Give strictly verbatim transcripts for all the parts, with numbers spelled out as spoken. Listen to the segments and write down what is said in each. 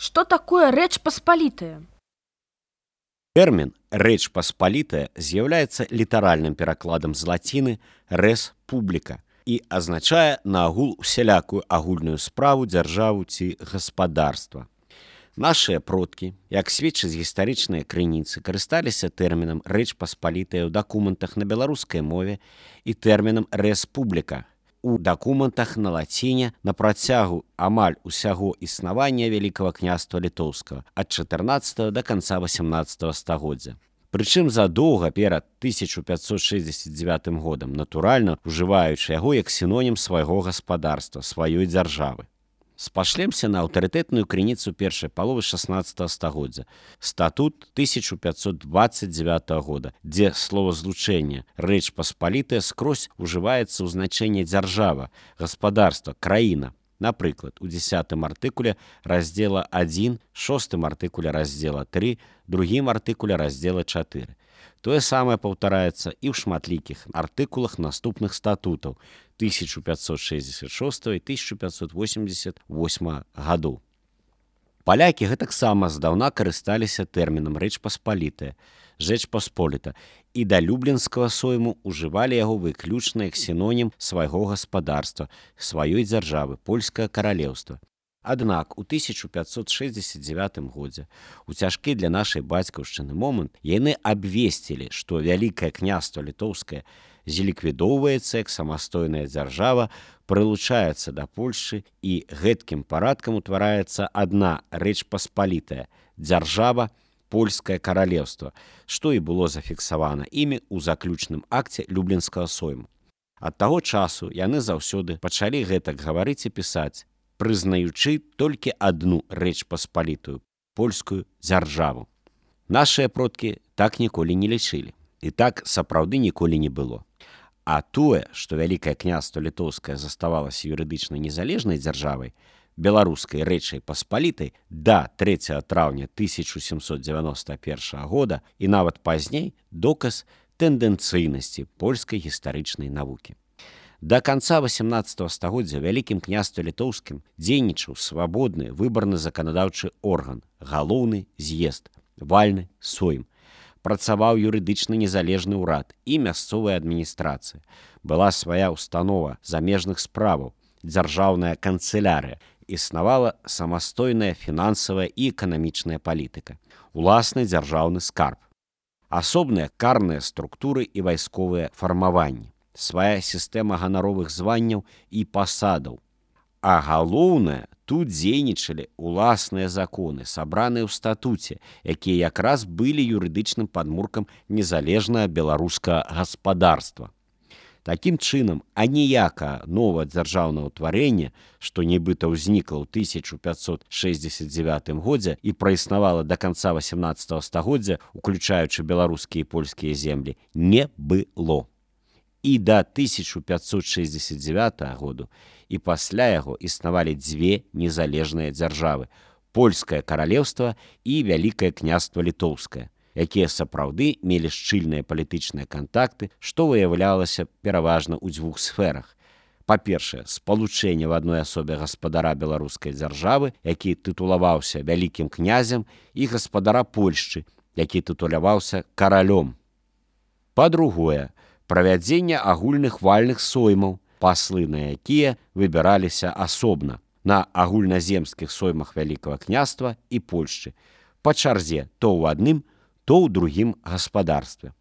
Что такое Рэч Паспалітая? Тэрмін «рэч паспалітая» з'яўляецца літаральным перакладам з лаціны «res publica» і азначае наогул усялякую агульную справу, дзяржаву ці гаспадарства. Нашыя продкі, як сведчаць гістарычныя крыніцы, карысталіся тэрмінам «рэч паспалітая» ў дакументах на беларускай мове і тэрмінам «res publica» у дакументах на лаціне на працягу амаль усяго існавання Вялікага княства Літоўскага ад чатырнаццатага да канца васямнаццатага стагоддзя. Прычым задоўга перад тысяча пятьсот шэсцьдзесят дзевятым годам, натуральна ужываючы яго як сінонім свайго гаспадарства, сваёй дзяржавы. Спашлемся на аўтарытэтную крыніцу першай паловы шаснаццатага стагоддзя, статут тысяча пятьсот двадцать девятого года, дзе словазлучэнне «рэч паспалітая» скрозь ужываецца ў значэнне дзяржава, гаспадарства, краіна. Напрыклад, у дзесятым артыкуле раздзела адзін, шостым артыкуле раздзела тры, другім артыкуле раздзела чатыры. Тое самае паўтараецца і ў шматлікіх артыкулах наступных статутаў тысяча пятьсот шэсцьдесят шостого і тысяча пятьсот восемьдесят восьмого гадоў. Палякі гэтаксама здаўна карысталіся тэрмінам «рэч паспалітая», «жэч пасполіта» і да люблінскага сойму ужывалі яго выключна як сінонім свайго гаспадарства, сваёй дзяржавы, польскае каралеўства. Аднак у тысяча пятьсот шэсцьдесят девятым годзе, у цяжкі для нашай бацькаўшчыны момант, яны абвесцілі, што Вялікае княства Літоўскае зліквідоўваецца як самастойная дзяржава, прылучаецца да Польшчы і гэткім парадкам утвараецца адна рэч паспалітая, дзяржава, польскае каралеўства, што і было зафіксавана імі ў заключным акце люблінскага сойму. Ад таго часу яны заўсёды пачалі гэтак гаварыць і пісаць, прызнаючы толькі адну рэч паспалітую, польскую дзяржаву. Нашыя продкі так ніколі не лічылі. І так сапраўды ніколі не было. А тое, што Вялікае княства Літоўскае заставалася юрыдычна незалежнай дзяржавай, беларускай рэчай паспалітай да трэцяга траўня тысяча сямсот дзевяноста першага года і нават пазней доказ тэндэнцыйнасці польскай гістарычнай навукі. Да канца васямнаццатага стагоддзя Вялікім княстве Літоўскім дзейнічаў свабодны выбарны заканадаўчы орган, галоўны з'езд, вальны сойм. Працаваў юрыдычна незалежны ўрад і мясцовая адміністрацыя. Была свая ўстанова замежных справаў, дзяржаўная канцылярыя, існавала самастойная фінансавая і эканамічная палітыка, уласны дзяржаўны скарб, асобныя карныя структуры і вайсковыя фармаванні, свая сістэма ганаровых званняў і пасадаў. А галоўнае, тут дзейнічалі уласныя законы, сабраныя ў статуце, якія якраз былі юрыдычным падмуркам незалежнага беларускага гаспадарства. Такім чынам, аніякае новае дзяржаўнае ўтварэнне, што нібыта ўзнікла ў тысяча пятьсот шэсцьдесят девятым годзе і праіснавала да канца васямнаццатага стагоддзя, уключаючы беларускія і польскія землі, не было. І да тысяча пятьсот шэсцьдесят девятого году і пасля яго існавалі дзве незалежныя дзяржавы – польскае каралеўства і Вялікае княства Літоўскае, якія сапраўды мелі шчыльныя палітычныя кантакты, што выяўлялася пераважна ў дзвюх сферах. Па-першае, спалучэнне в адной асобе гаспадара беларускай дзяржавы, які тытулаваўся вялікім князем, і гаспадара Польшчы, які тытуляваўся каралём. Па-другое, правядзенне агульных вальных соймаў, паслы на якія выбіраліся асобна на агульназемскіх соймах Вялікага княства і Польшчы, па чарзе то ў адным, то ў другім гаспадарстве.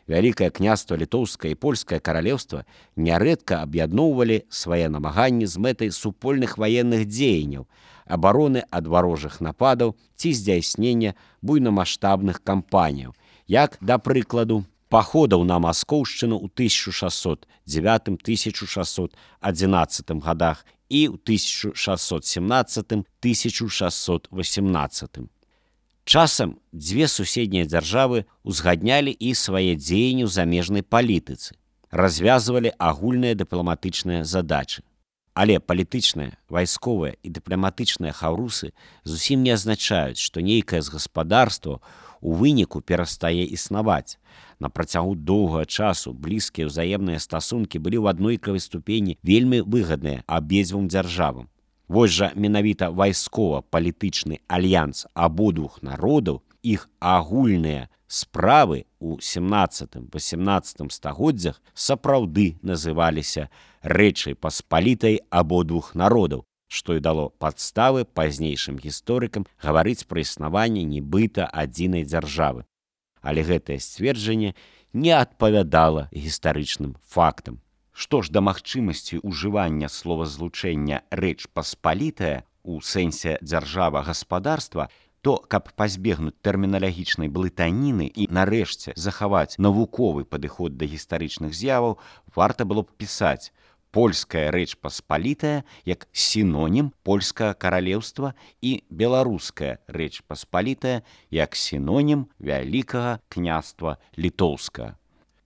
Вялікае княства Літоўскае і польскае каралеўства нярэдка аб'ядноўвалі свае намаганні з мэтай супольных ваенных дзеянняў, абароны ад варожых нападаў ці здзяйснення буйнамаштабных кампаніяў, як, да прыкладу, паходаў на Маскоўшчыну ў тысяча шэсцьсот дзевятым - тысяча шэсцьсот адзінаццатым гадах і ў тысяча шэсцьсот семнаццатым - тысяча шэсцьсот васямнаццатым. Часам дзве суседнія дзяржавы узгаднялі і свае дзеянні ў замежнай палітыцы, развязвалі агульныя дыпламатычныя задачы. Але палітычныя, вайсковыя і дыпламатычныя хаўрусы зусім не азначаюць, што нейкае з гаспадарства у выніку перастае існаваць. На працягу доўгага часу блізкія ўзаемныя стасункі былі ў аднолькавай ступені вельмі выгадныя абедзвюм дзяржавам. Вось жа менавіта вайскова-палітычны альянс абодвух народаў, іх агульныя справы ў сямнаццатым-васямнаццатым стагоддзях сапраўды называліся Рэчай Паспалітай абодвух народаў, што і дало падставы пазнейшым гісторыкам гаварыць пра існаванне нібыта адзінай дзяржавы. Але гэтае сцверджанне не адпавядала гістарычным фактам. Што ж да магчымасці ўжывання словазлучэння Рэч Паспалітая у сэнсе дзяржава-гаспадарства, то, каб пазбегнуць тэрміналагічнай блытаніны і, нарэшце, захаваць навуковы падыход да гістарычных з'яваў, варта было б пісаць польская Рэч Паспалітая як сінонім польскага каралеўства і беларуская Рэч Паспалітая як сінонім вялікага княства літоўскага.